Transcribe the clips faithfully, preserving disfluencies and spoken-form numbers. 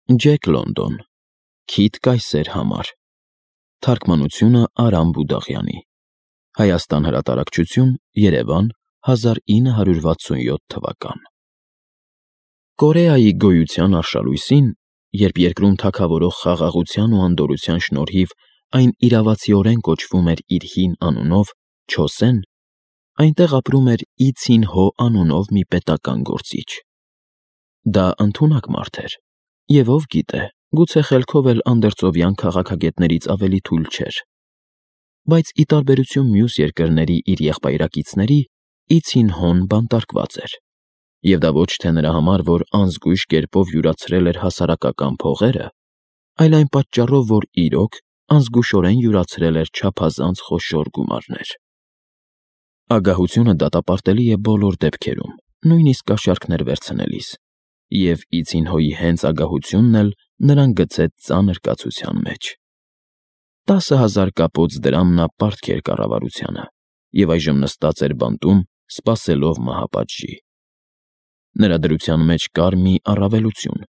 Ջեք Լոնդոն, Քիթ Կայսեր համար, թարգմանությունը Արամ Բուդաղյանի, Հայաստան հրատարակչություն, Երևան, հազար ինը հարյուր վաթսունյոթ թվական։ Կորեայի գոյության արշալույսին, երբ երկրում թագավորող խաղաղության ու անդորրության շնորհիվ այն իրավացիորեն կոչվում էր իր հին անունով Չոսեն, այնտեղ ապրում էր Ի Ցին Հո անունով մի պետական գործիչ։ Դա ընդունակ մարդ էր, և ով գիտե, գուցե խելքով էլ անդերձովյան քաղաքագետներից ավելի թույլ չէր։ Բայց ի տարբերություն մյուս երկրների իր եղբայրակիցների, Ի Ցին Հոն բանտարկված էր, և դա ոչ թե նրա համար, որ անզգույշ կերպով յուրացրել էր հասարակական փողերը, այլ այն պատճառով, որ իրոք անզգուշորեն յուրացրել էր չափազանց խոշոր գումարներ։ Ագահությունը դատապարտելի է բոլոր դեպքերում, նույնիսկ կաշառքներ վերցնելիս, և Ի Ցին Հոյի հենց ագահությունն էլ նրան գցեց ծանր կացության մեջ։ Տասը հազար կապոց դրամ նա պարտք էր կառավարությանը, և այժմ նստած էր բանտում, սպասելով մահապատժի։ Նրա դրության մեջ կար մի առավելություն.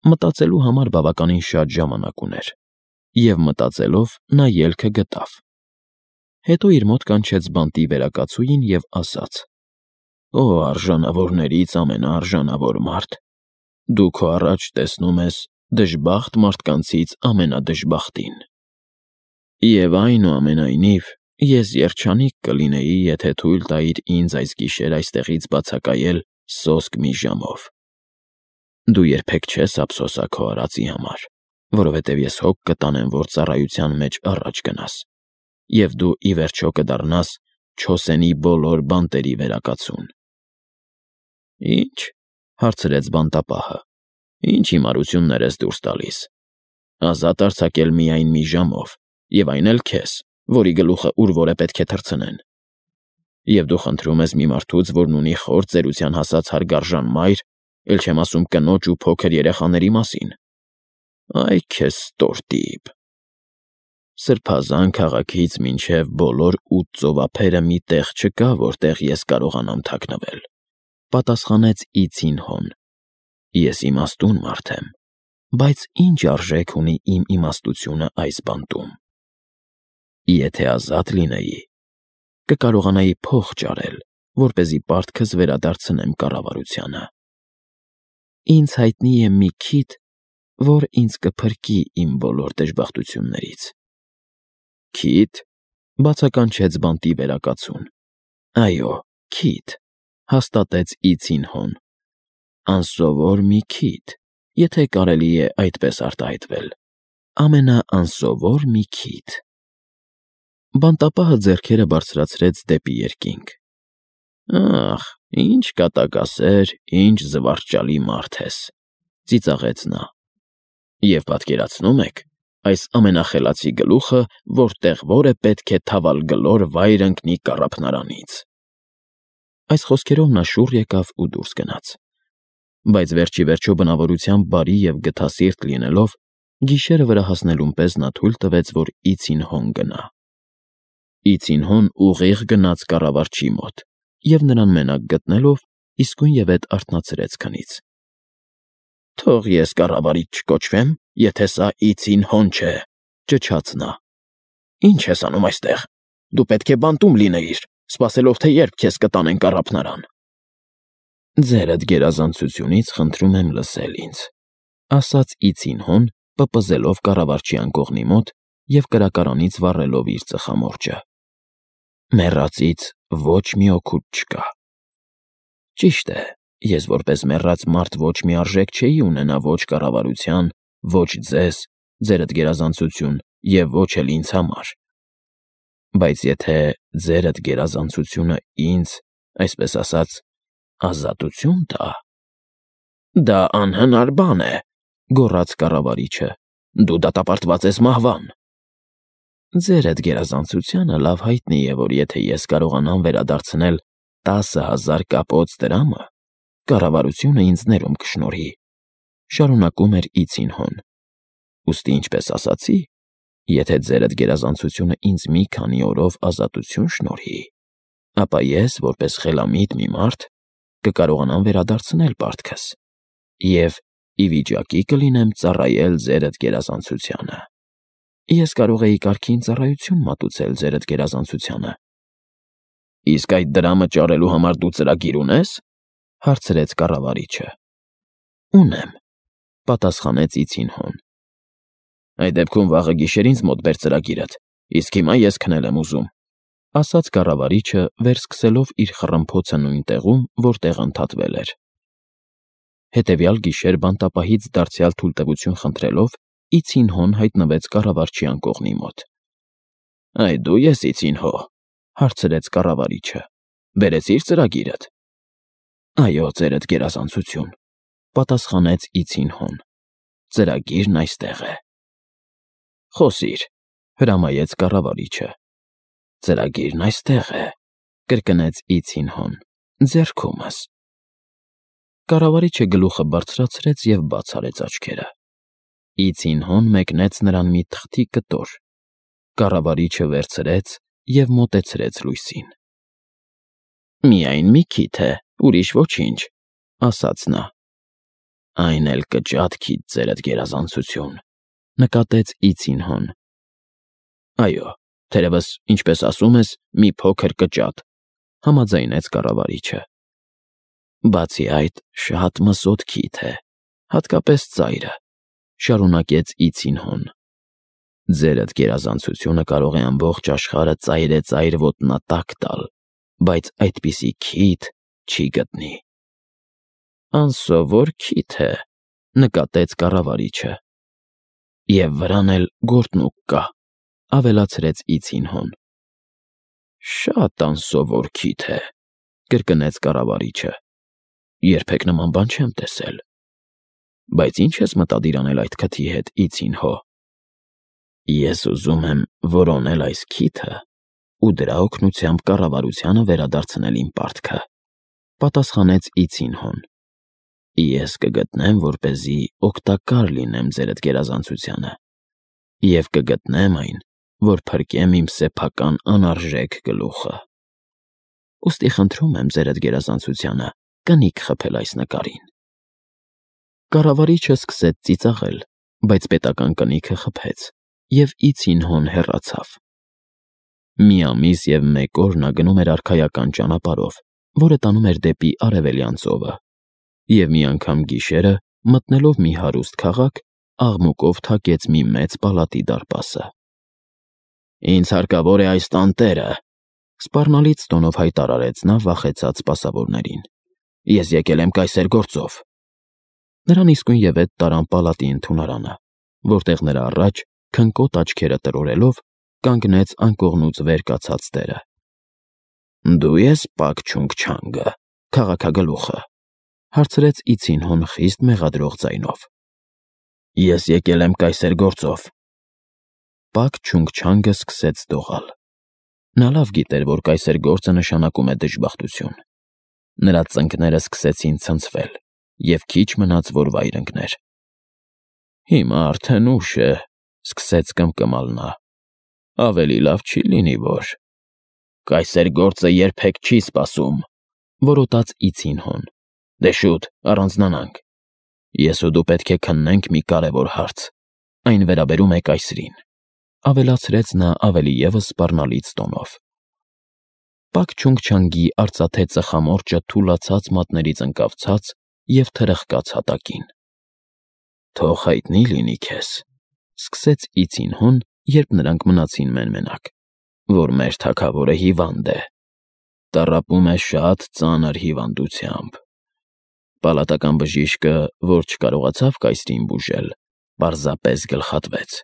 մտածելու համար բավականին շատ ժամանակ ուներ, և մտածելով նա ելքը գտավ։ Հետո իր մոտ կանչեց բանտի վերակացուհին և ասաց. «Օ արժանավորներից ամենաարժանավոր մարդ, դու քո առաջ տեսնում ես դժբախտ մարդկանցից ամենադժբախտին։ Եվ այնուամենայնիվ ես երջանիկ կլինեի, եթե թույլ տայիր ինձ այս գիշեր այստեղից բացակայել սոսկ մի ժամով։ Դու երբեք չես ափսոսա քո արածի համար, որովհետև ես հոգ կտանեմ, որ ծառայության մեջ առաջ գնաս, և դու ի վերջո կդառնաս Չոսենի բոլոր բանտերի վերակացուն»։ «Ի՞նչ», հարցրեց բանտապահը, «ինչ հիմարություններ ես դուրս տալիս։ Ազատ արձակել միայն մի ժամով, և այն էլ քեզ, որի գլուխը ուր որ է պետք է թռցնեն։ Եվ դու խնդրում ես մի մարդուց, որն ունի խոր ծերության հասած հարգարժան մայր, էլ չեմ ասում կնոջ ու փոքր երեխաների մասին։ Այ քեզ ստորտիպ։ Սրբազան քաղաքից մինչև բոլոր ութ ծովափերը մի տեղ չկա, որտեղ ես կարողանամ թաքնվել», պատասխանեց Ի Ցին Հոն։ «Ես իմաստուն մարդ եմ, բայց ի՞նչ արժեք ունի իմ իմաստությունը այս բանտում։ Եթե ազատ լինեի, կկարողանայի փող ճարել, որպեսզի պարտքս վերադարձնեմ կառավարությանը։ Ինձ հայտնի է մի քիթ, որ ինձ կփրկի իմ բոլոր դժբախտություններից»։ «Քիթ», բացականչեց բանտի վերակացուն։ «Այո, քիթ», հաստատեց Ի Ցին Հոն։ «Անսովոր մի քիթ, եթե կարելի է այդպես արտահայտվել, ամենաանսովոր մի քիթ»։ Բանտապահը ձեռքերը բարձրացրեց դեպի երկինք։ «Ախ, ինչ կատակասեր, ինչ զվարճալի մարդ ես», ծիծաղեց նա։ «Եվ պատկերացնո՞ւմ եք, այս ամենախելացի գլուխը որտեղ որ է պետք է թավալգլոր վայր ընկնի կառափնարանից»։ Այս խոսքերով նա շուռ եկավ ու դուրս գնաց։ Բայց վերջ ի վերջո բնավորությամբ բարի և գթասիրտ լինելով, գիշերը վրա հասնելուն պես նա թույլ տվեց, որ Ի Ցին Հոն գնա։ Ի Ցին Հոն ուղիղ գնաց կառավարչի մոտ և նրան մենակ գտնելով, իսկույնևեթ արթնացրեց քնից։ «Թող ես կառավարիչ չկոչվեմ, եթե սա Ի Ցին Հոն չէ», ճչաց նա։ «Ի՞նչ ես անում այստեղ։ Դու պետք է բանտում լինեիր, սպասելով, թե երբ քեզ կտանեն կառափնարան»։ «Ձերդ գերազանցությունից խնդրում եմ լսել ինձ», ասաց Ի Ցին Հոն, պպզելով կառավարչի անկողնի մոտ և կրակարանից վառելով իր ծխամորճը։ «Մեռածից ոչ մի օգուտ չկա։ Ճիշտ է, ես որպես մեռած մարդ ոչ մի արժեք չէի ունենա ոչ կառավարության, ոչ ձեզ, ձերդ գերազանցություն, և ոչ էլ ինձ համար։ Բայց եթե ձերդ գերազանցությունը ինձ, այսպես ասած, ազատություն տա»։ «Դա անհնար բան է», գոռաց կառավարիչը, «դու դատապարտված ես մահվան»։ «Ձերդ գերազանցությանը լավ հայտնի է, որ եթե ես կարողանամ վերադարձնել տասը հազար կապոց դրամը, կառավարությունը ինձ ներում կշնորհի», շարունակում էր Ի Ցին Հոն։ «Ուստի, ինչպես ասացի, եթե ձերդ գերազանցությունը ինձ մի քանի օրով ազատություն շնորհի, ապա ես, որպես խելամիտ մի մարդ, կկարողանամ վերադարձնել պարտքս, և ի վիճակի կլինեմ ծառայել ձերդ գերազանցությանը։ Ես կարող էի կարգին ծառայություն մատուցել ձերդ գերազանցությանը։ Իսկ այդ դրամը ճարելու համար դու ծրագիր ունես, հարցրեց կառավարիչը։ Ունեմ, պատասխանեց Իցինհոն։ Այդ դեպքում վաղը գիշեր ինձ մոտ բեր ծրագիրդ, իսկ հիմա ես քնել եմ ուզում, ասաց կառավարիչը, վերսկսելով իր խռմփոցը նույն տեղում, որտեղ ընդհատվել էր։ Հետևյալ գիշեր բանտապահից դարձյալ թույլտվություն խնդրելով, Իցինհոն հայտնվեց կառավարչի անկողնի մոտ։ Այ դու ես Իցինհո, հարցրեց կառավարիչը։ Բերեցի՞ր ծրագիրդ։ Այո, ձերդ գերազանցություն, պատասխանեց Իցինհոն։ Ծրագիրն այստեղ է։ Խոսիր, հրամայեց կառավարիչը։ Ծրագիրն այստեղ է, կրկնեց Իցինհոն, ձեռքումս։ Կառավարիչը գլուխը բարձրացրեց և բաց արեց աչքերը։ Իցինհոն մեկնեց նրան մի թղթի կտոր։ Կառավարիչը վերցրեց և մոտեցրեց լույսին։ Միայն մի քիթ է, ուրիշ ոչինչ, ասաց նա։ Այն էլ կճատ քիթ, ձերդ գերազանցություն, նկատեց Իցինհոն։ Այո, թերևս, ինչպես ասում ես, մի փոքր կճատ, համաձայնեց կառավարիչը։ Բացի այդ, շատ մսոտ քիթ է, հատկապես ծայրը, շարունակեց Իցինհոն։ Ձերդ գերազանցությունը կարող է ամբողջ աշխարհը ծայրե-ծայր ոտնատակ տալ, բայց այդպիսի քիթ չի գտնի։ Անսովոր քիթ է, նկատեց կառավարիչը։ Եվ վրան էլ գործնուկ կա, ավելացրեց Իցինհոն։ Շատ անսովոր քիթ է, կրկնեց կառավարիչը։ Երբեք նման բան չեմ տեսել։ Բայց ի՞նչ ես մտադիր անել այդ քթի հետ, Իցինհո։ Ես ուզում եմ որոնել այս քիթը ու դրա օգնությամբ կառավարությանը վերադարձնել իմ պարտքը, պատասխանեց Իցինհոն։ Ես կգտնեմ, որպեսզի օգտակար լինեմ ձերդ գերազանցությանը, և կգտնեմ այն, որ փրկեմ իմ սեփական անարժեք գլուխը։ Ուստի խնդրում եմ ձերդ գերազանցությանը կնիկ խփել այս նկարին։ Կառավարիչը սկսեց ծիծաղել, բայց պետական կնիքը խփեց, և Իցինհոն հեռացավ։ Մի ամիս և մեկ օր նա գնում էր արքայական ճանապարհով, որը տանում էր դեպի Արևելյան ծովը, և մի անգամ գիշերը, մտնելով մի հարուստ քաղաք, աղմուկով թակեց մի մեծ պալատի դարպասը։ Ինձ հարկավոր է այս տանտերը, սպառնալից տոնով հայտարարեց նա վախեցած սպասավորներին։ Ես եկել եմ կայսեր գործով։ Նրան իսկույնևեթ տարան պալատի ընդունարանը, որտեղ նրա առաջ, քնկոտ աչքերը տրորելով, կանգնեց անկողնուց վեր կացած տերը։ Դու ես Պակ Չունգ-Չանգը, քաղաքագլուխը, հարցրեց Իցինհոն խիստ մեղադրող ձայնով։ Ես եկել եմ կայսեր գործով։ Պակ Չունգ-Չանգը սկսեց դողալ։ Նա լավ գիտեր, որ կայսեր գործը նշանակում է դժբախտություն։ Նրա ծնկները սկսեցին ցնցվել, և քիչ մնաց, որ վայր ընկներ։ Հիմա արդեն ուշ է, սկսեց կմկմալ նա։ Ավելի լավ չի լինի, որ… Կայսեր գործը երբեք չի սպասում, որոտաց Իցինհոն։ Դե շուտ, առանձնանանք։ Ես ու դու պետք է քննենք մի կարևոր հարց։ Այն վերաբերում է կայսրին, ավելացրեց նա ավելի ևս սպառնալից տոնով։ Պակ Չունգ-Չանգի արծաթե ծխամորճը թուլացած մատներից ընկավ ցած և թրխկաց հատակին։ Թող հայտնի լինի քեզ, սկսեց Իցինհոն, երբ նրանք մնացին մեն֊մենակ, որ մեր թագավորը հիվանդ է, տառապում է շատ ծանր հիվանդությամբ։ Պալատական բժիշկը, որ չկարողացավ կայսրին բուժել, պարզապես գլխատվեց։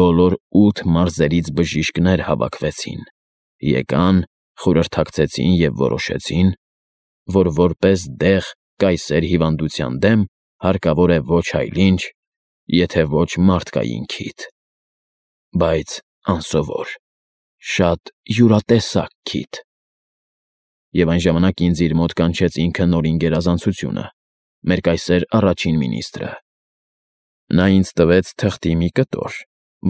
Բոլոր ութ մարզերից բժիշկներ հավաքվեցին, եկան, խորհրդակցեցին և որոշեցին, որ որպես դեղ կայսեր հիվանդության դեմ հարկավոր է ոչ այլ ինչ, եթե ոչ մարդկային քիթ, բայց անսովոր, շատ յուրատեսակ քիթ։ Եվ այն ժամանակ ինձ իր մոտ կանչեց ինքը Նորին գերազանցությունը, մեր կայսեր առաջին մինիստրը։ Նա ինձ տվեց թղթի մի կտոր,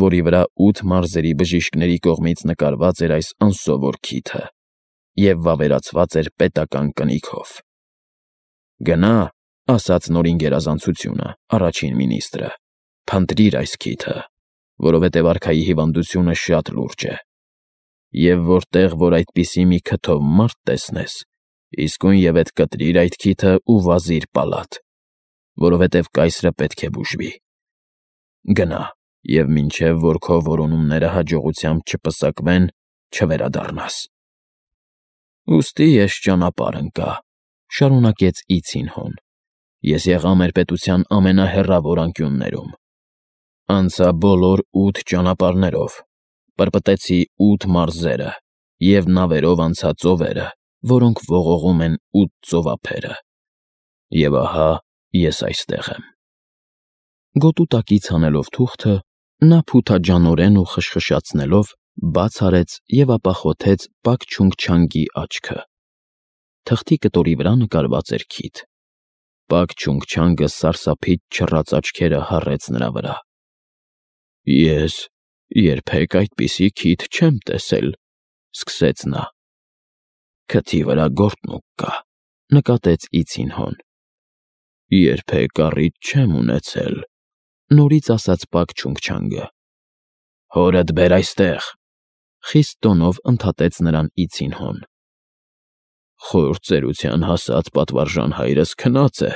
որի վրա ութ մարզերի բժիշկների կողմից նկարված էր այս անսովոր քիթը և վավերացված էր պետական կնիքով։ Գնա, ասաց նորին գերազանցությունը, առաջին մինիստրը, փնտրիր այս քիթը, որովհետև արքայի հիվանդությունը շատ լուրջ է։ Եվ որտեղ որ այդպիսի մի քթով մարդ տեսնես, իսկույն ետ կտրիր այդ քիթը ու վազիր պալատ, որովհետև կայսրը պետք է բուժվի։ Գնա, և մինչև որ քո որոնումները հաջողությամբ չպսակվեն, չվերադառնաս։ Ուստի ես ճանապարհ ընկա, շարունակեց Իցին-հոն։ Ես եղա մեր պետության ամենահեռավոր անկյուններում։ Անցա բոլոր ութ ճանապարհներով, պրպտեցի ութ մարզերը և նավերով անցա ծովերը, որոնք ողողում են ութ ծովափերը։ Եվ ահա ես այստեղ եմ։ Գոտու տակից հանելով թուղթը, նա փութաջանորեն ու խշխշացնելով բաց արեց և ապա խոթեց Պակ Չունգ-Չանգի աչքը։ Թղթի կտորի վրա նկարված էր քիթ։ Պակ Չունգ-Չանգը սարսափից չռած աչքերը հառեց նրա վրա։ Ես երբեք այդպիսի քիթ չեմ տեսել, սկսեց նա։ Քթի վրա գորտնուկ կա, նկատեց Իցին-հոն։ Երբեք առիթ չեմ ունեցել, նորից ասաց Պակ Չունգ-Չանգը։ Հորդ բեր այստեղ, խիստ տոնով ընդհատեց նրան Իցին-հոն։ Խոր ծերության հասած պատվարժան հայրս քնած է,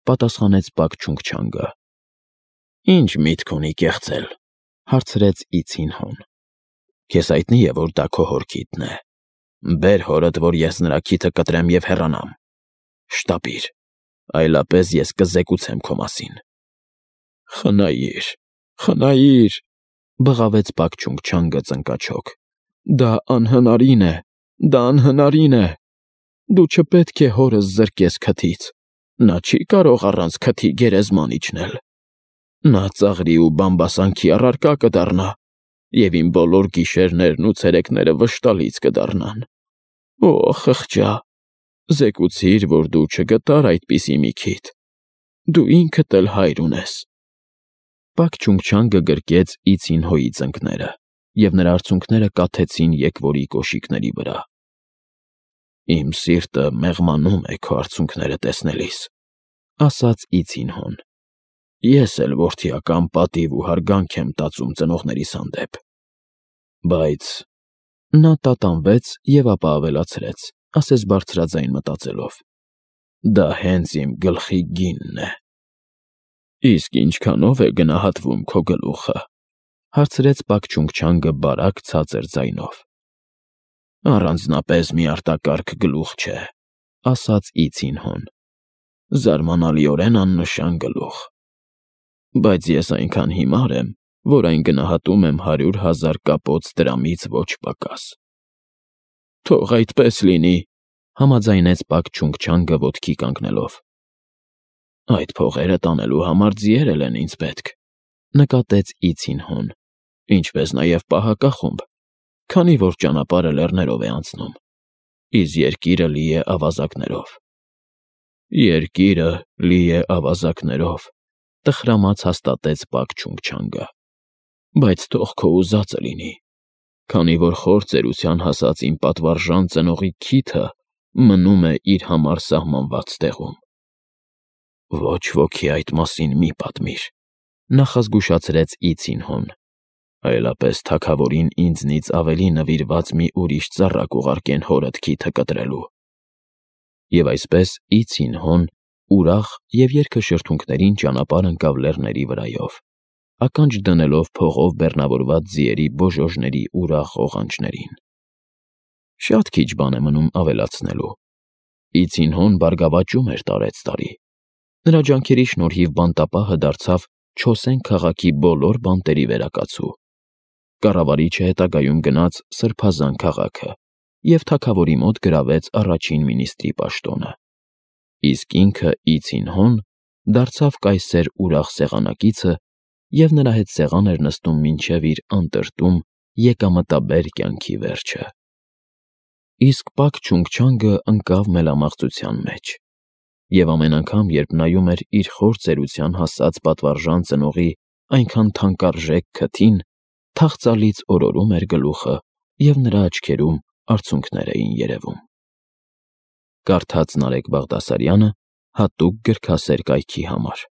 պատասխանեց Պակ Չունգ-Չանգը։ Ինչ միտք ունի կեղծել, հարցրեց Իցին-հոն։ Քեզ հայտնի է, որ դա քո հոր քիթն է։ Բեր հորդ, որ ես նրա քիթը կտրեմ և հեռանամ։ Շտապիր, այլապես ես կզեկուցեմ քո մասին։ Խնայիր, խնայիր, բղավեց Պակ Չունգ-Չանգը ծնկաչոք։ Դա անհնարին է, դա անհնարին է։ Դու չպետք է հորս զրկես քթից։ Նա չի կարող առանց քթի գերեզման իջնել։ Նա ծաղրի ու բամբասանքի առարկա կդառնա, և իմ բոլոր գիշերներն ու ցերեկները վշտալից կդառնան։ Օ, խղճա, զեկուցիր, որ դու չգտար այդպիսի մի քիթ։ Դու ինքդ էլ հայր ունես։ Պակ Չունգ-Չանգը գրկեց Իցին-հոյի ծնկները, և նրա արցունքները կաթեցին եկվորի կոշիկների վրա։ Իմ սիրտը մեղմանում է քո արցունքները տեսնելիս, ասաց Իցին-հոն։ Ես էլ որդիական պատիվ ու հարգանք եմ տածում ծնողներիս հանդեպ։ Բայց նա տատանվեց և ապա ավելացրեց, ասես բարձրաձայն մտածելով. Դա հենց իմ գլխի գինն է։ Իսկ ինչքանո՞վ է գնահատվում քո գլուխը, հարցրեց Պակ Չունգ-Չանգը բարակ ցածր ձայնով։ Առանձնապես մի արտակարգ գլուխ չէ, ասաց Իցին-հոն։ Զարմանալիորեն աննշան գլուխ։ Բայց ես այնքան հիմար եմ, որ այն գնահատում եմ հարյուր հազար կապոց դրամից ոչ պակաս։ Թող այդպես լինի, համաձայնեց Պակ Չունգ-Չանգը ոտքի կանգնելով։ Այդ փողերը տանելու համար ձիեր էլ են ինձ պետք, նկատեց Իցին-հոն, ինչպես նաև պահակախումբ, քանի որ ճանապարհը լեռներով է անցնում, իսկ երկիրը լի է ավազակներով։ Երկիրը լի է ավազակներով, տխրամաց հաստատեց Պակ Չունգ-Չանգը։ Բայց թող քո ուզածը լինի, քանի որ խոր ծերության հասած իմ պատվարժան ծնողի քիթը մնում է իր համար սահմանված տեղում։ Ոչ ոքի այդ մասին մի պատմիր, նախազգուշացրեց Իցին-հոն, այլապես թագավորին ինձնից ավելի նվիրված մի ուրիշ ծառա կուղարկեն հորդ քիթը կտրելու։ Եվ այսպես Իցին-հոն ուրախ և երգաշրթունքներին ճանապարհ ընկավ լեռների վրայով, ականջ դնելով փողով բեռնավորված ձիերի բոժոժների ուրախ ղողանջներին։ Շատ քիչ բան է մնում ավելացնելու։ Իցին-հոն բարգավաճում էր տարեցտարի։ Նրա ջանքերի շնորհիվ բանտապահը դարձավ Չոսեն քաղաքի բոլոր բանտերի վերակացու։ Կառավարիչը հետագայում գնաց Սրբազան քաղաքը և թագավորի մոտ գրավեց առաջին մինիստրի պաշտոնը։ Իսկ ինքը Իցին-հոն դարձավ կայսեր ուրախ սեղանակիցը և նրա հետ սեղան էր նստում մինչև իր անտրտում եկամտաբեր կյանքի վերջը։ Իսկ Պակ Չունգ-Չանգը ընկավ մելամաղձության մեջ։ Եվ ամեն անգամ, երբ նայում էր իր խոր ծերության հասած պատվարժան ծնողի այնքան թանկարժեք քթին, թախծալից օրորում էր գլուխը, և նրա աչքերում արցունքներ էին երևում։ Կարդաց Նարեկ Բաղդասարյանը Հատուկ գրքասեր կայքի համար։